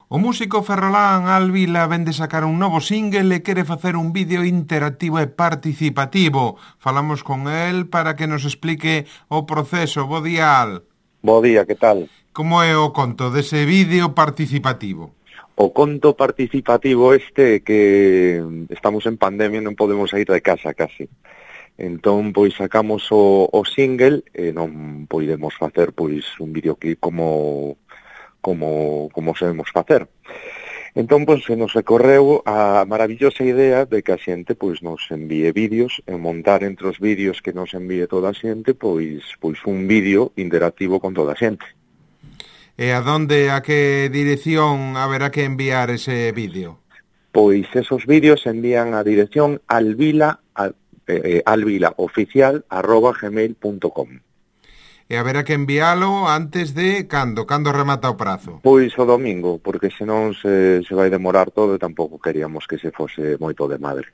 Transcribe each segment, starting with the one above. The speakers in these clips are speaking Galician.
O músico ferrolán Alvila vén de sacar un novo single e quere facer un vídeo interactivo e participativo. Falamos con el para que nos explique o proceso. Bo día, Al. Bo día, que tal? Como é o conto dese vídeo participativo? O conto participativo que estamos en pandemia e non podemos sair de casa casi. Entón, pois sacamos o single e non podemos facer pois un videoclip como sabemos facer. Entón, pois, se nos recorreu a maravillosa idea de que a xente pois nos envíe vídeos e montar entre os vídeos que nos envíe toda a xente pois un vídeo interactivo con toda a xente. E a que dirección haberá que enviar ese vídeo? Pois esos vídeos envían a dirección alvilaoficial@gmail.com. E haberá que envialo antes de cando remata o prazo? Pois o domingo, porque senón se vai demorar todo e tampouco queríamos que se fose moito de madre.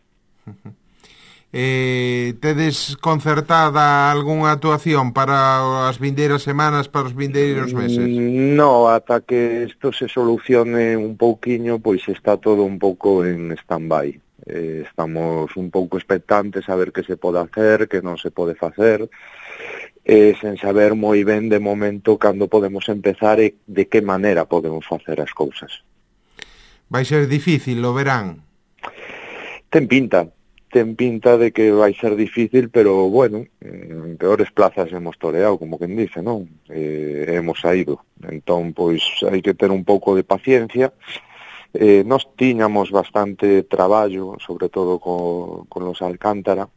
Tedes concertada algunha actuación para as vindeiras semanas, para os vindeiros meses? No, ata que isto se solucione un pouquiño, pois está todo un pouco en stand-by. Estamos un pouco expectantes a ver que se pode hacer, que non se pode facer, sen saber moi ben de momento cando podemos empezar e de que maneira podemos facer as cousas. Vai ser difícil, lo verán? Ten pinta de que vai ser difícil, pero bueno, en peores plazas hemos toreado, como quen dice, non? Hemos saído. Entón, pois, hai que ter un pouco de paciencia. Nos tiñamos bastante traballo, sobre todo con los Alcántara,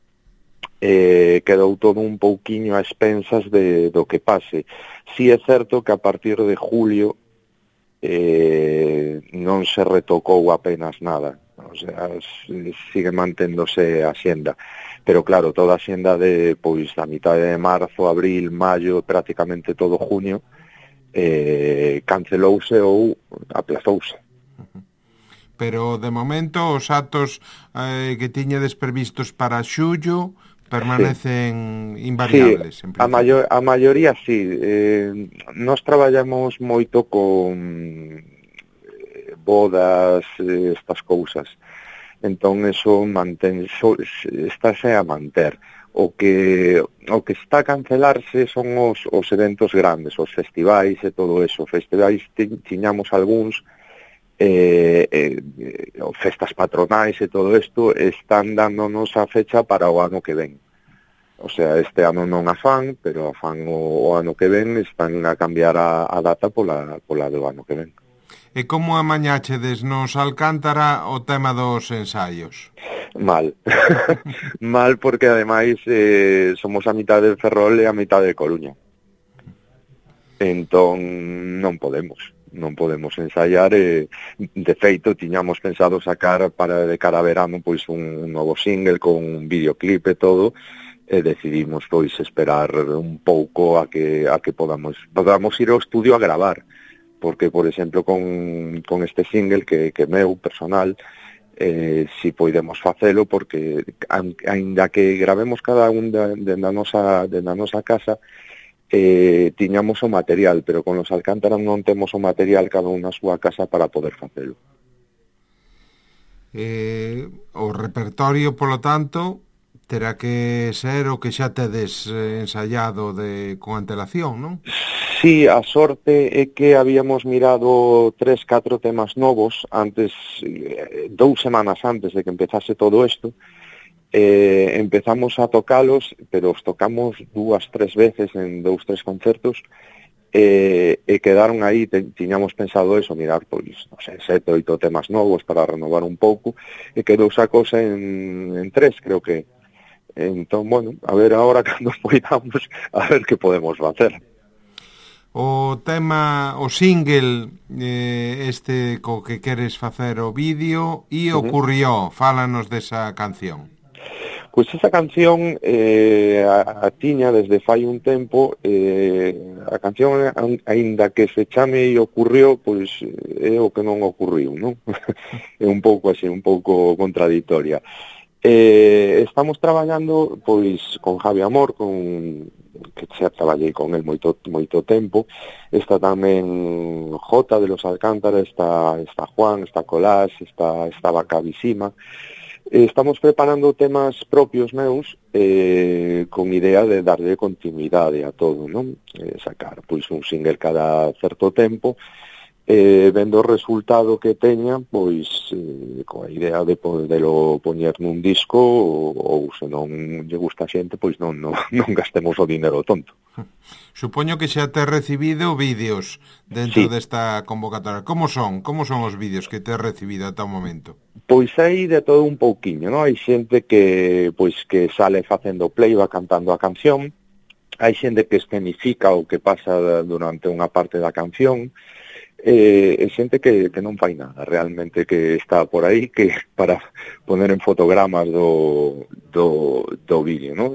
quedou todo un pouquiño a expensas do que pase. Si é certo que a partir de julio non se retocou apenas nada, o sea, sigue manténdose a xenda, pero claro, toda a xenda de pois a mitad de marzo, abril, maio, prácticamente todo junio cancelouse ou aplazouse. Pero de momento os actos que tiñedes previstos para xullo permanecen invariables. Sí, a maioría sí. Nós traballamos moito con bodas, estas cousas. Entón, eso estáse a manter. O que está a cancelarse son os eventos grandes, os festivais e todo eso. Festivais tiñamos algúns, festas patronais e todo isto están dándonos a fecha para o ano que ven. O sea, este ano non a fan, pero a fan o ano que ven están a cambiar a data pola do ano que ven. E como amañáchedes nos Alcántara o tema dos ensaios? Mal. Mal porque ademais somos a mitad de Ferrol e a mitad de Coruña. Entón non podemos ensaiar, de feito tiñamos pensado sacar de cara a verano pois un novo single con un videoclip e todo, e decidimos pois esperar un pouco a que podamos ir ao estudio a gravar, porque por exemplo con este single que meu personal, si podemos facelo, porque aínda que gravemos cada un de na nosa casa, tiñamos o material, pero con los Alcántara non temos o material cada un na súa casa para poder facelo. O repertorio, polo tanto, terá que ser o que xa tedes ensaiado con antelación, non? Sí, a sorte é que habíamos mirado 3-4 temas novos antes, 2 semanas antes de que empezase todo isto. Empezamos a tocalos, pero os tocamos 2-3 veces en 2-3 concertos, e quedaron aí. Tiñamos pensado eso, mirar pois, non sei, 7-8 temas novos para renovar un pouco, e quedou esa cosa en 3, creo que. Entón, bueno, a ver agora cando poidamos, a ver que podemos facer. O single este co que queres facer o vídeo e ocurrió, fálanos desa canción. Pois esa canción a tiña desde fai un tempo. A canción, aínda que se chame e ocurrió, pois é o que non ocurriu, non? É un pouco así, un pouco contradictoria. Estamos traballando pois con Javi Amor, que xa traballei con el moito tempo. Está tamén Jota de los Alcántara, está Juan, está Colás, está Bacabisima. Estamos preparando temas propios meus con idea de darle continuidade a todo, non? Sacar pois un single cada certo tempo, vendo o resultado que teña, pois coa idea de podelo poñer nun disco ou se non lle gusta a xente, pois non gastemos o dinero tonto. Supoño que xa te recibido vídeos dentro desta convocatoria. Como son os vídeos que te has recibido ata o momento? Pois hai de todo un pouquiño, non? Hai xente que sale facendo playback cantando a canción, hai xente que escenifica o que pasa durante unha parte da canción, e xente que non fai nada, realmente, que está por aí que para poner en fotogramas do vídeo, non?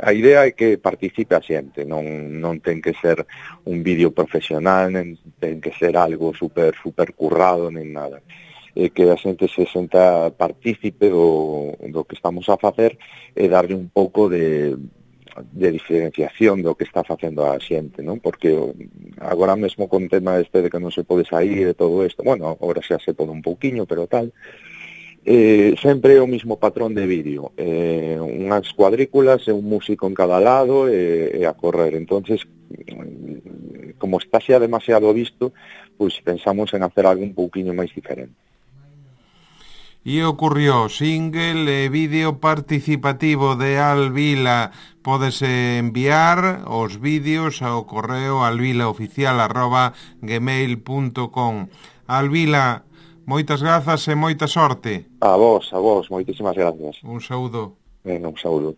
A idea é que participe a xente, non ten que ser un vídeo profesional, nen ten que ser algo super currado, nen nada. Que a xente se senta partícipe do que estamos a facer e darlle un pouco de diferenciación do que está facendo a xente, non? Porque agora mesmo con tema de que non se pode sair e todo isto, bueno, agora xa se pode un pouquiño, pero tal, sempre o mismo patrón de vídeo, unhas cuadrículas e un músico en cada lado e a correr. Entonces, como está xa demasiado visto, pois pensamos en hacer algo un pouquiño máis diferente. E ocurrió single e vídeo participativo de Alvila. Podes enviar os vídeos ao correo alvilaoficial@gmail.com. Alvila, moitas grazas e moita sorte. A vos, moitísimas gracias. Un saúdo. Un saúdo.